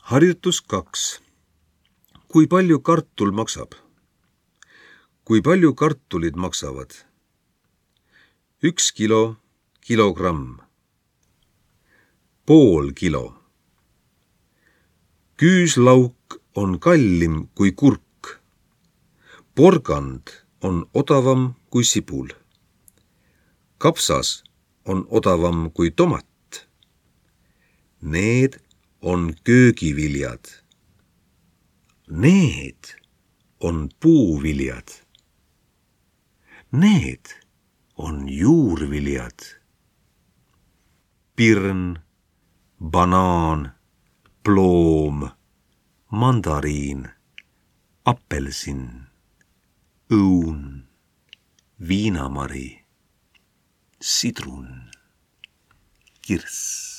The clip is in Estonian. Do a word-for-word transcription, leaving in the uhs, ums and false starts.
Harjutus kaks. Kui palju kartul maksab? Kui palju kartulid maksavad? Üks kilo, kilogramm. Pool kilo. Küüslauk on kallim kui kurk. Porgand on odavam kui sibul. Kapsas on odavam kui tomat. Need on köögiviljad. Need on puuviljad. Need on juurviljad. Pirn, banaan, ploom, mandariin, apelsin, õun, viinamari, sidrun, kirss.